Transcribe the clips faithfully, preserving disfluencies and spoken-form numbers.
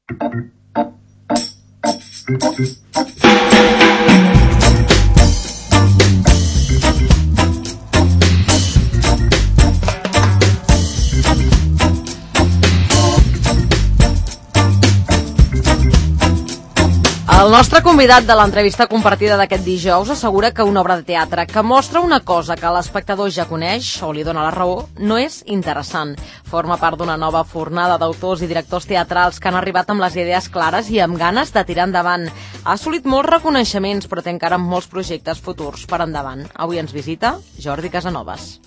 El nostre convidat de l'entrevista compartida d'aquest dijous assegura que una obra de teatre que mostra una cosa que l'espectador ja coneix o li dona la raó no és interessant. Forma part d'una nova fornada d'autors i directors teatrals que han arribat amb les idees clares i amb ganes de tirar endavant. Ha assolit molts reconeixements, però té encara molts projectes futurs per endavant. Avui ens visita Jordi Casanovas.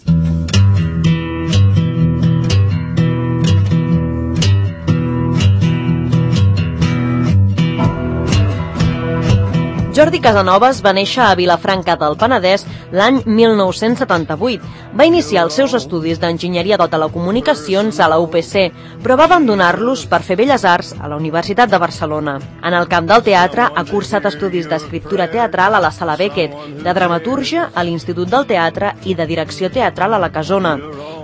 Jordi Casanovas va néixer a Vilafranca del Penedès l'any mil nou-cents setanta-vuit. Va iniciar els seus estudis d'enginyeria de telecomunicacions a la U P C, però va abandonar-los per fer Belles Arts a la Universitat de Barcelona. En el camp del teatre ha cursat estudis d'escriptura teatral a la Sala Beckett, de dramatúrgia a l'Institut del Teatre i de direcció teatral a la Casona.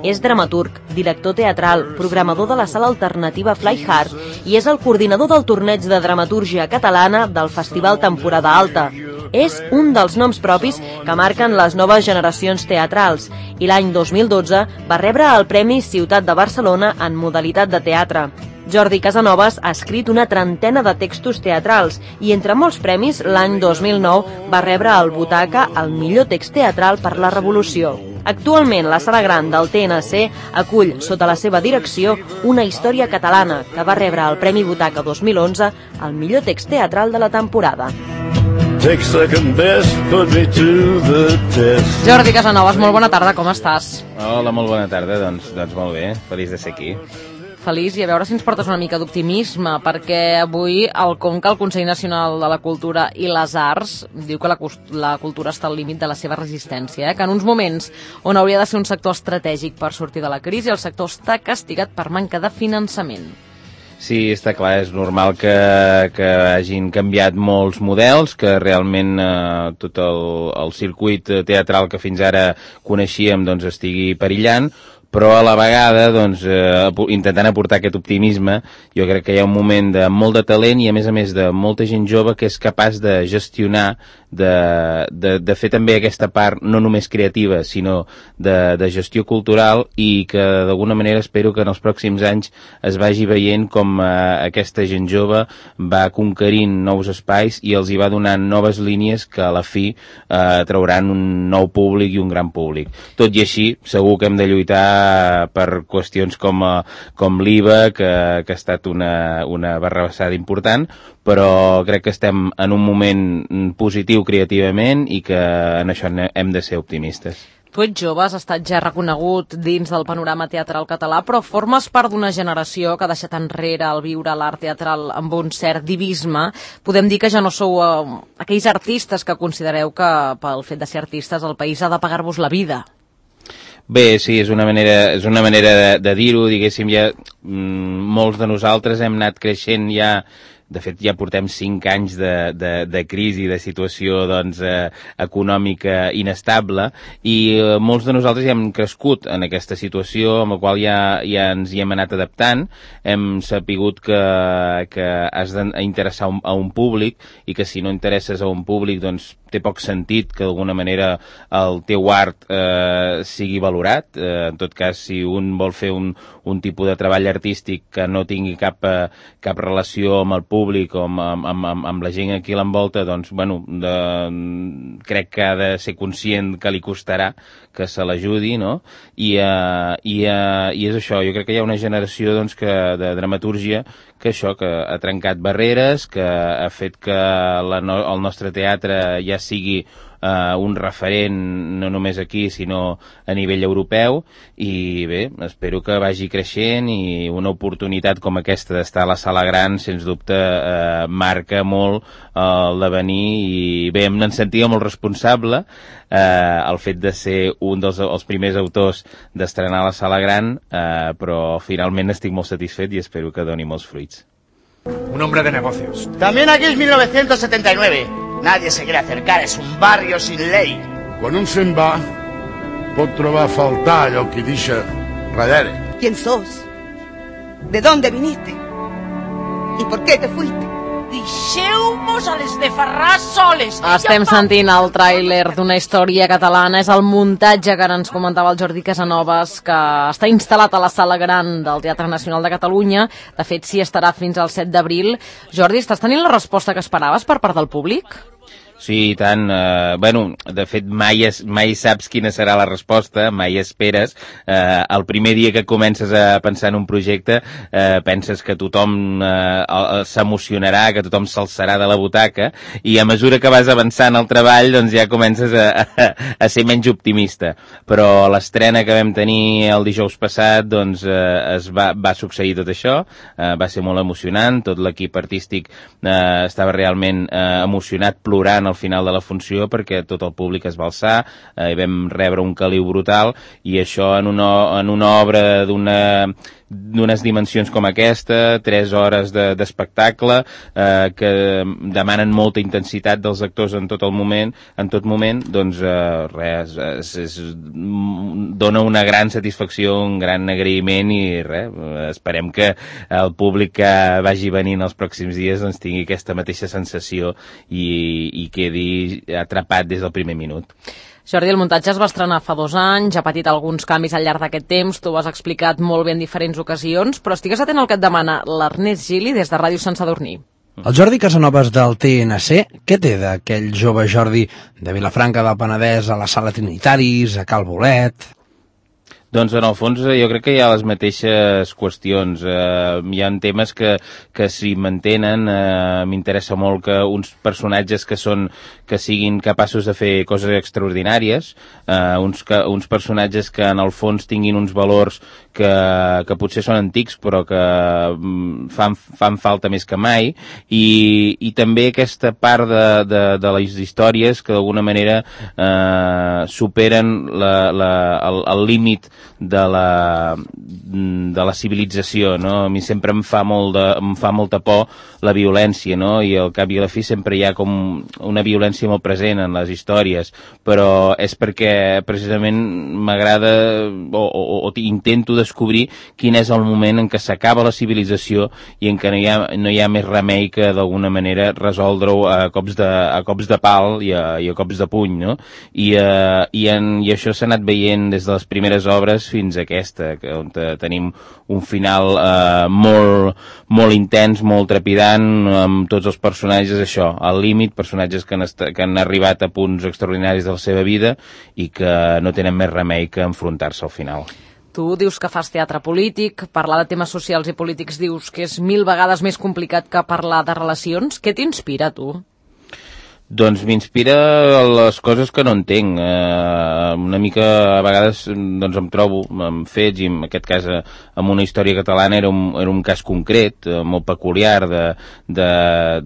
És dramaturg, director teatral, programador de la sala alternativa Fly Hard i és el coordinador del torneig de dramatúrgia catalana del Festival Temporada Alta. És un dels noms propis que marquen les noves generacions teatrals i l'any dos mil dotze va rebre el Premi Ciutat de Barcelona en modalitat de teatre. Jordi Casanovas ha escrit una trentena de textos teatrals i, entre molts premis, l'any dos mil nou va rebre el Butaca al millor text teatral per la Revolució. Actualment, la Sala Gran del T N C acull, sota la seva direcció, una història catalana que va rebre el Premi Butaca dos mil onze al millor text teatral de la temporada. Jordi Casanovas, molt bona tarda, com estàs? Hola, molt bona tarda, doncs, doncs molt bé, feliç de ser aquí. Feliç, i a veure si ens portes una mica d'optimisme, perquè avui el Conca, el Consell Nacional de la Cultura i les Arts, diu que la, la cultura està al límit de la seva resistència, eh? Que en uns moments on hauria de ser un sector estratègic per sortir de la crisi, el sector està castigat per manca de finançament. Sí, està clar, és normal que, que hagin canviat molts models, que realment eh, tot el, el circuit teatral que fins ara coneixíem doncs, estigui perillant, però a la vegada, doncs, eh, intentant aportar aquest optimisme, jo crec que hi ha un moment de molt de talent i, a més a més, de molta gent jove que és capaç de gestionar, de, de, de fer també aquesta part no només creativa, sinó de, de gestió cultural, i que d'alguna manera espero que en els pròxims anys es vagi veient com eh, aquesta gent jove va conquerint nous espais i els hi va donant noves línies que a la fi eh, trauran un nou públic i un gran públic. Tot i així, segur que hem de lluitar per qüestions com, com l'I V A, que, que ha estat una, una barrabassada important, però crec que estem en un moment positiu creativament i que en això hem de ser optimistes. Tu ets jove, has estat ja reconegut dins del panorama teatral català, però formes part d'una generació que ha deixat enrere el viure l'art teatral amb un cert divisme. Podem dir que ja no sou uh, aquells artistes que considereu que pel fet de ser artistes el país ha de pagar-vos la vida. Bé, sí, és una manera, és una manera de, de dir-ho, diguéssim, ja mm, molts de nosaltres hem anat creixent ja. De fet, ja portem cinc anys de, de, de crisi, de situació doncs, eh, econòmica inestable, i eh, molts de nosaltres ja hem crescut en aquesta situació, amb la qual ja, ja ens hi hem anat adaptant. Hem sapigut que, que has d'interessar a un públic, i que si no interesses a un públic, doncs té poc sentit que d'alguna manera el teu art eh, sigui valorat. Eh, en tot cas, si un vol fer un, un tipus de treball artístic que no tingui cap, eh, cap relació amb el públic o amb, amb, amb, amb la gent aquí a l'envolta, doncs, bueno, de, crec que ha de ser conscient que li costarà que se l'ajudi, no? I, uh, i, uh, i és això, jo crec que hi ha una generació doncs, que, de dramatúrgia que això, que ha trencat barreres, que ha fet que la, el nostre teatre ja sigui Uh, un referent no només aquí sinó a nivell europeu, i bé, espero que vagi creixent, i una oportunitat com aquesta d'estar a la Sala Gran sens dubte uh, marca molt uh, el devenir, i bé, em sentia molt responsable uh, el fet de ser un dels els primers autors d'estrenar a la Sala Gran, uh, però finalment estic molt satisfet i espero que doni molts fruits. Un hombre de negocios. También aquí es mil novecientos setenta y nueve. Nadie se quiere acercar, es un barrio sin ley. Quan un se'n va, pot trobar a faltar allò que deixa darrere. ¿Quién sos? ¿De dónde viniste? ¿Y por qué te fuiste? Deixeu-mos a les de Ferràs soles. Estem sentint el tràiler d'una història catalana. És el muntatge que ara ens comentava el Jordi Casanovas, que està instal·lat a la Sala Gran del Teatre Nacional de Catalunya. De fet, s'hi estarà fins al set d'abril. Jordi, estàs tenint la resposta que esperaves per part del públic? Sí, i tant. Eh, bueno, de fet, mai, es, mai saps quina serà la resposta, mai esperes. Eh, el primer dia que comences a pensar en un projecte, eh, penses que tothom eh, s'emocionarà, que tothom s'alçarà de la butaca, i a mesura que vas avançant al treball, doncs ja comences a, a, a ser menys optimista. Però l'estrena que vam tenir el dijous passat, doncs eh, es va, va succeir tot això, eh, va ser molt emocionant, tot l'equip artístic eh, estava realment eh, emocionat, plorant al final de la funció, perquè tot el públic es va alçar, eh, vam rebre un caliu brutal, i això en una, en una obra d'una d'unes dimensions com aquesta, tres hores d'espectacle, de, eh, que demanen molta intensitat dels actors en tot el moment, en tot moment, doncs eh, res, es, es, dona una gran satisfacció, un gran agraïment, i res, esperem que el públic que vagi venint els pròxims dies doncs tingui aquesta mateixa sensació i, i quedi atrapat des del primer minut. Jordi, el muntatge es va estrenar fa dos anys, ha patit alguns canvis al llarg d'aquest temps, tu ho has explicat molt bé en diferents ocasions, però estigues atent al que et demana l'Ernest Gili des de Ràdio Sant Sadurní. El Jordi Casanovas del T N C, què té d'aquell jove Jordi de Vilafranca del Penedès a la Sala Trinitaris, a Cal Bolet? Doncs en el fons jo crec que hi ha les mateixes qüestions. Eh, hi ha temes que, que s'hi mantenen. Eh, M'interessa molt que uns personatges que són que siguin capaços de fer coses extraordinàries, eh, uns, que, uns personatges que en el fons tinguin uns valors que, que potser són antics però que fan, fan falta més que mai, i, i també aquesta part de, de, de les històries que d'alguna manera eh, superen la, la, el, el límit de la, de la civilització, no? A mi sempre em fa, molt de, em fa molta por la violència, no? I al cap i a la fi sempre hi ha com una violència molt present en les històries, però és perquè precisament m'agrada o, o, o intento descobrir quin és el moment en què s'acaba la civilització i en què no hi ha, no hi ha més remei que d'alguna manera resoldre-ho a cops de, a cops de pal i a, i a cops de puny, no? I, uh, i, en, i això s'ha anat veient des de les primeres obres fins a aquesta, que, on tenim un final eh, molt, molt intens, molt trepidant, amb tots els personatges, això, al límit, personatges que han, que han arribat a punts extraordinaris de la seva vida i que no tenen més remei que enfrontar-se al final. Tu dius que fas teatre polític, parlar de temes socials i polítics dius que és mil vegades més complicat que parlar de relacions. Què t'inspira, tu? Doncs m'inspira les coses que no entenc. Eh, una mica, a vegades, doncs em trobo amb fets, i en aquest cas amb una història catalana era un, era un cas concret, eh, molt peculiar de, de,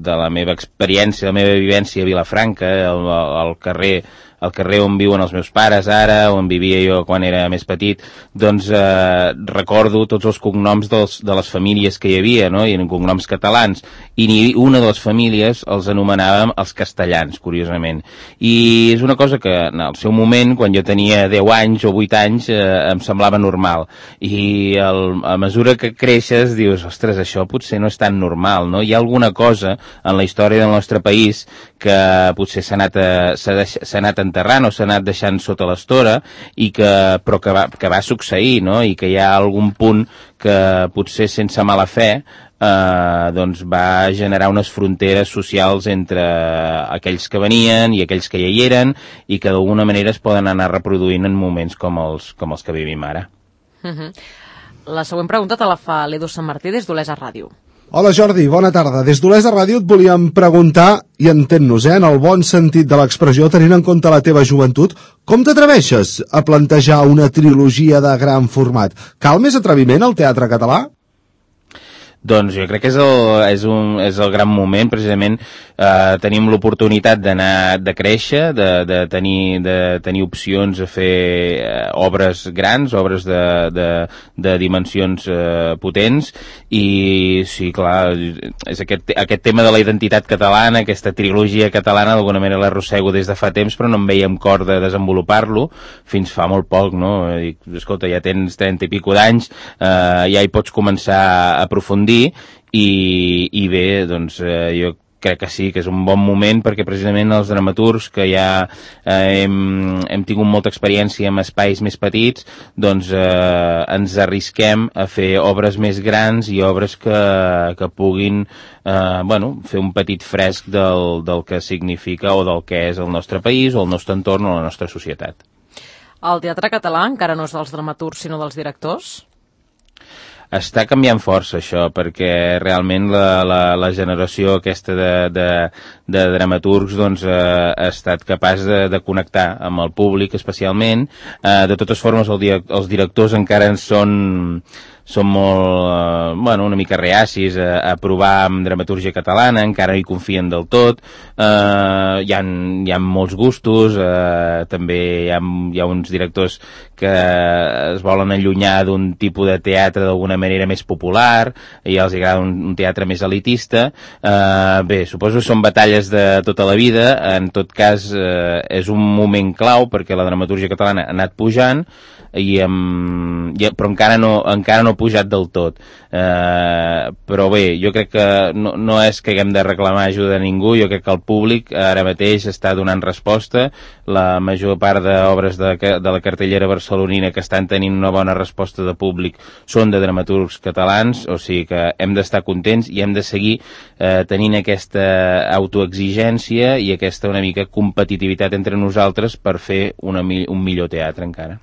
de la meva experiència, la meva vivència a Vilafranca, al, al carrer al carrer on viuen els meus pares ara, on vivia jo quan era més petit, doncs eh, recordo tots els cognoms dels, de les famílies que hi havia, no? I eren cognoms catalans, i ni una de les famílies els anomenàvem els castellans, curiosament. I és una cosa que en el seu moment, quan jo tenia deu anys o vuit anys, eh, em semblava normal. I el, a mesura que creixes dius, ostres, això potser no és tan normal, no? Hi ha alguna cosa en la història del nostre país que potser s'ha anat, s'ha anat enterrant o s'ha anat deixant sota l'estora, i que, però que va, que va succeir, no? I que hi ha algun punt que potser sense mala fe eh, doncs va generar unes fronteres socials entre aquells que venien i aquells que ja hi eren, i que d'alguna manera es poden anar reproduint en moments com els, com els que vivim ara. Uh-huh. La següent pregunta te la fa l'Edu Sant Martí des d'Olesa Ràdio. Hola Jordi, bona tarda. Des d'Olesa Ràdio et volíem preguntar, i entén-nos, eh, en el bon sentit de l'expressió, tenint en compte la teva joventut, com t'atreveixes a plantejar una trilogia de gran format? Cal més atreviment al teatre català? Doncs jo crec que és el, és un, és el gran moment, precisament eh, tenim l'oportunitat d'anar, de créixer, de, de, tenir, de tenir opcions a fer eh, obres grans, obres de, de, de dimensions eh, potents, i sí, clar, és aquest, aquest tema de la identitat catalana, aquesta trilogia catalana, d'alguna manera l'arrossego des de fa temps, però no em veia amb cor de desenvolupar-lo fins fa molt poc, no? Dic, escolta, ja tens trenta i pico d'anys, eh, ja hi pots començar a aprofundir, gaudir, i, i bé, doncs eh, jo crec que sí, que és un bon moment perquè precisament els dramaturgs que ja eh, hem, hem tingut molta experiència en espais més petits, doncs eh, ens arrisquem a fer obres més grans i obres que, que puguin eh, bueno, fer un petit fresc del, del que significa o del que és el nostre país o el nostre entorn o la nostra societat. El teatre català encara no és dels dramaturgs sinó dels directors? Està canviant força això, perquè realment la, la, la generació aquesta de, de, de dramaturgs doncs, eh, ha estat capaç de, de connectar amb el públic especialment. Eh, de totes formes, el, els directors encara en són... són molt, eh, bueno, una mica reacis a, a provar amb dramatúrgia catalana, encara hi confien del tot, eh, hi, ha, hi ha molts gustos, eh, també hi ha, hi ha uns directors que es volen allunyar d'un tipus de teatre d'alguna manera més popular, i els agrada un, un teatre més elitista. Eh, bé, suposo que són batalles de tota la vida, en tot cas eh, és un moment clau perquè la dramatúrgia catalana ha anat pujant, i, um, i, però encara no, encara no ha pujat del tot. Eh, però bé, jo crec que no, no és que haguem de reclamar ajuda a ningú, jo crec que el públic ara mateix està donant resposta. La major part d'obres de, de la cartellera barcelonina que estan tenint una bona resposta de públic són de dramaturgs catalans, o sigui que hem d'estar contents i hem de seguir eh, tenint aquesta autoexigència i aquesta una mica competitivitat entre nosaltres per fer una, un millor teatre encara.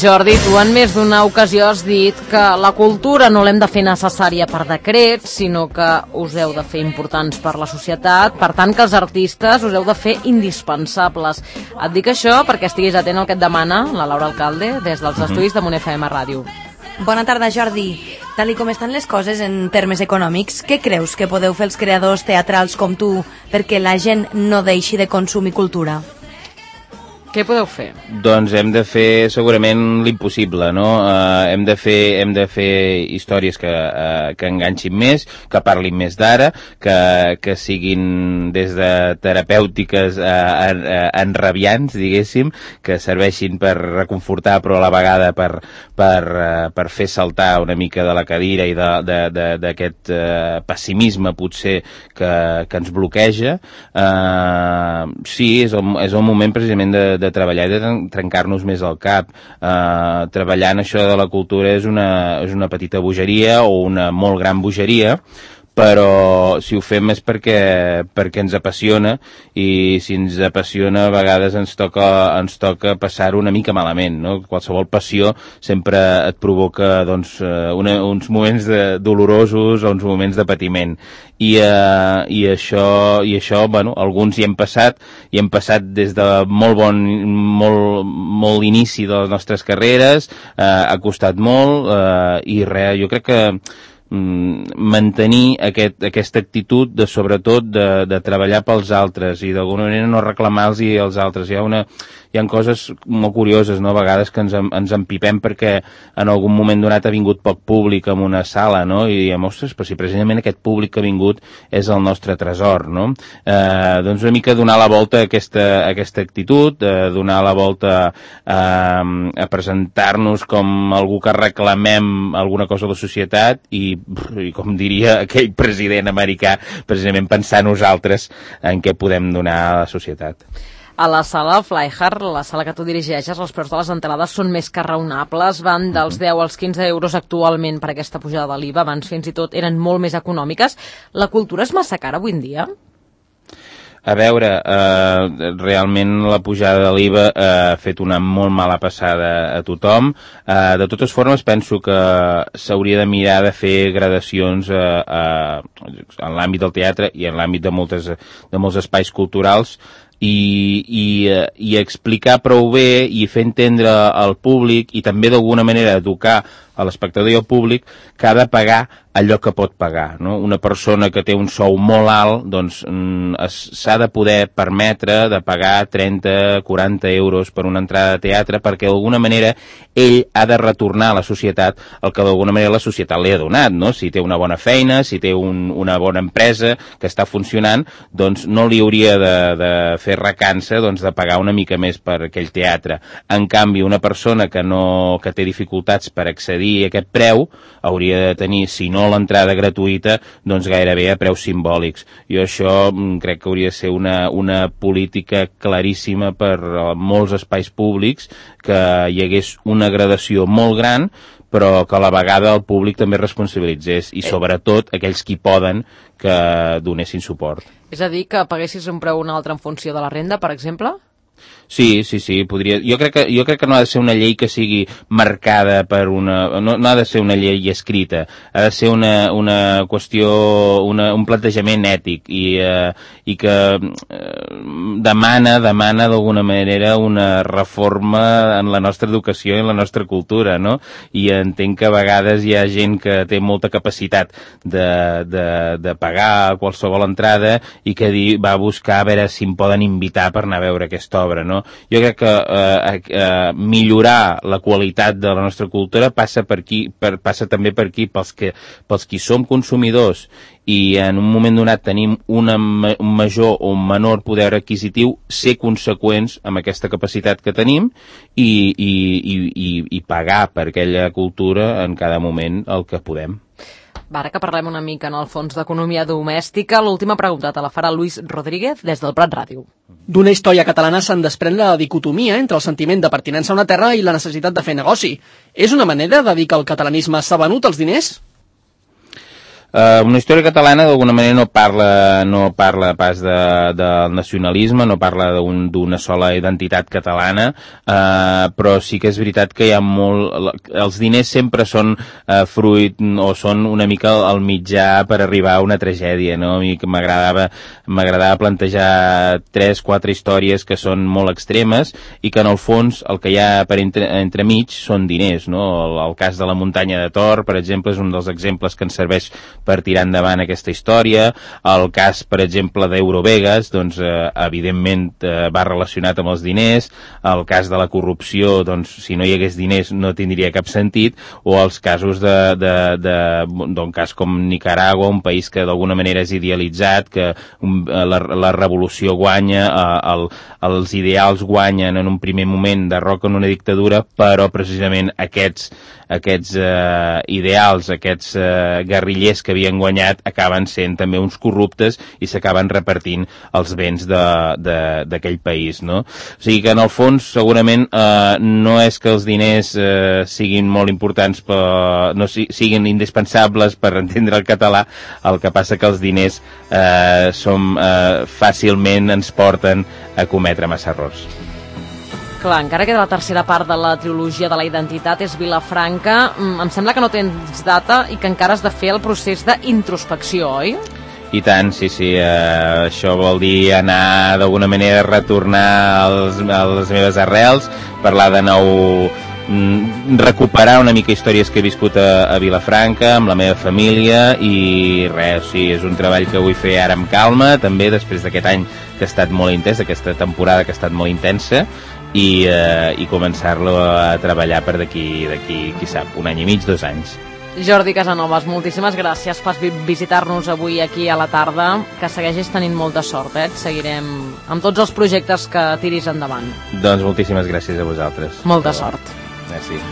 Jordi, tu en més d'una ocasió has dit que la cultura no l'hem de fer necessària per decret, sinó que us heu de fer importants per la societat, per tant que els artistes us heu de fer indispensables. Et dic això perquè estiguis atent al que et demana la Laura Alcalde des dels estudis de Mon F M Ràdio. Bona tarda, Jordi. Tal com estan les coses en termes econòmics, què creus que podeu fer els creadors teatrals com tu perquè la gent no deixi de consumir cultura? Què podeu fer? Doncs hem de fer segurament l'impossible, no? Uh, hem de fer, hem de fer històries que, uh, que enganxin més, que parlin més d'ara, que, que siguin des de terapèutiques a, a, a enrabiants, diguéssim, que serveixin per reconfortar però a la vegada per, per, uh, per fer saltar una mica de la cadira i d'aquest uh, pessimisme potser que, que ens bloqueja. Uh, sí, és el, és el moment precisament de de treballar i de trencar-nos més el cap. Uh, treballar en això de la cultura és una, és una petita bogeria o una molt gran bogeria, però si ho fem és perquè, perquè ens apassiona, i si ens apassiona a vegades ens toca, ens toca passar una mica malament, no? Qualsevol passió sempre et provoca doncs, una, uns moments de, dolorosos o uns moments de patiment, i, uh, i això, i això bueno, alguns hi hem passat, i hem passat des de molt bon, molt, molt inici de les nostres carreres, uh, ha costat molt, uh, i res, jo crec que mantenir aquest, aquesta actitud de sobretot de, de treballar pels altres i d'alguna manera no reclamar-los als altres. Hi ha, una, hi ha coses molt curioses, no? A vegades que ens, ens empipem perquè en algun moment donat ha vingut poc públic en una sala, no? I diem, ostres, però si precisament aquest públic que ha vingut és el nostre tresor, no? Eh, doncs una mica donar la volta a aquesta, a aquesta actitud, eh, donar la volta a, a presentar-nos com algú que reclamem alguna cosa a la societat i i com diria aquell president americà, precisament pensar nosaltres en què podem donar a la societat. A la sala Flyhard, la sala que tu dirigeixes, els preus de les entrades són més que raonables, van dels deu als quinze euros actualment per aquesta pujada de l'I V A, abans fins i tot eren molt més econòmiques. La cultura és massa cara avui en dia? A veure, eh, realment la pujada de l'I V A eh, ha fet una molt mala passada a tothom. Eh, de totes formes, penso que s'hauria de mirar de fer gradacions eh, eh, en l'àmbit del teatre i en l'àmbit de, moltes, de molts espais culturals, i, i, i explicar prou bé i fer entendre al públic i també d'alguna manera educar a l'espectador i al públic que ha de pagar allò que pot pagar, no? Una persona que té un sou molt alt, doncs s'ha de poder permetre de pagar trenta, quaranta euros per una entrada de teatre perquè d'alguna manera ell ha de retornar a la societat el que d'alguna manera la societat li ha donat, no? Si té una bona feina, si té un, una bona empresa que està funcionant, doncs no li hauria de, de fer recança doncs, de pagar una mica més per aquell teatre. En canvi, una persona que, no, que té dificultats per accedir a aquest preu hauria de tenir, si no l'entrada gratuïta, doncs gairebé a preus simbòlics. Jo això crec que hauria de ser una, una política claríssima per molts espais públics, que hi hagués una gradació molt gran, però que a la vegada el públic també responsabilitzés i sobretot aquells qui poden que donessin suport. És a dir, que paguessis un preu o un altre en funció de la renda, per exemple? Sí, sí, sí, podria... Jo crec que, jo crec que no ha de ser una llei que sigui marcada per una... No, no ha de ser una llei escrita, ha de ser una, una qüestió, una, un plantejament ètic i, eh, i que eh, demana, demana d'alguna manera una reforma en la nostra educació i en la nostra cultura, no? I entenc que a vegades hi ha gent que té molta capacitat de, de, de pagar qualsevol entrada i que di, va a buscar a veure si em poden invitar per anar a veure aquesta obra, no? Jo crec que eh, eh, millorar la qualitat de la nostra cultura passa per aquí, per, passa també per aquí pels, que, pels qui som consumidors i en un moment donat tenim una, un major o un menor poder adquisitiu, ser conseqüents amb aquesta capacitat que tenim i, i, i, i, i pagar per aquella cultura en cada moment el que podem. Va, ara que parlem una mica en el fons d'economia domèstica, l'última pregunta te la farà Luis Rodríguez des del Prat Ràdio. D'una història catalana se'n desprèn la dicotomia entre el sentiment de pertinença a una terra i la necessitat de fer negoci. És una manera de dir que el catalanisme s'ha venut els diners? Uh, una història catalana d'alguna manera no parla, no parla pas de, del nacionalisme, no parla d'una un, sola identitat catalana, uh, però sí que és veritat que hi ha molt... Els diners sempre són uh, fruit o són una mica el mitjà per arribar a una tragèdia, no? A mi m'agradava m'agradava plantejar tres, quatre històries que són molt extremes i que en el fons el que hi ha per entre, entremig són diners, no? El, el cas de la muntanya de Thor, per exemple, és un dels exemples que ens serveix per tirar endavant aquesta història. El cas, per exemple, d'Eurovegas, doncs, eh, evidentment eh, va relacionat amb els diners. El cas de la corrupció, doncs, si no hi hagués diners no tindria cap sentit. O els casos de, de, de, d'un cas com Nicaragua, un país que d'alguna manera és idealitzat, que un, la, la revolució guanya, eh, el, els ideals guanyen en un primer moment, derroquen una dictadura, però precisament aquests, aquests eh, ideals, aquests eh, guerrillers que havien guanyat acaben sent també uns corruptes i s'acaben repartint els béns d'aquell país, no? O sigui que en el fons segurament eh, no és que els diners eh, siguin molt importants, però no si, siguin indispensables per entendre el català, el que passa que els diners eh, som, eh, fàcilment ens porten a cometre massa errors. Clar, encara queda la tercera part de la trilogia de la identitat, és Vilafranca. Em sembla que no tens data i que encara has de fer el procés d'introspecció, oi? I tant, sí, sí. Eh, això vol dir anar d'alguna manera a retornar als, a les meves arrels, parlar de nou, recuperar una mica històries que he viscut a, a Vilafranca, amb la meva família, i res, sí, és un treball que vull fer ara amb calma, també després d'aquest any que ha estat molt intens, aquesta temporada que ha estat molt intensa, i, eh, i començar-lo a treballar per d'aquí, d'aquí, qui sap, un any i mig, dos anys. Jordi Casanovas, moltíssimes gràcies per visitar-nos avui aquí a la tarda, que segueixis tenint molta sort, eh? Et seguirem amb tots els projectes que tiris endavant. Doncs moltíssimes gràcies a vosaltres. Molta sort. Merci.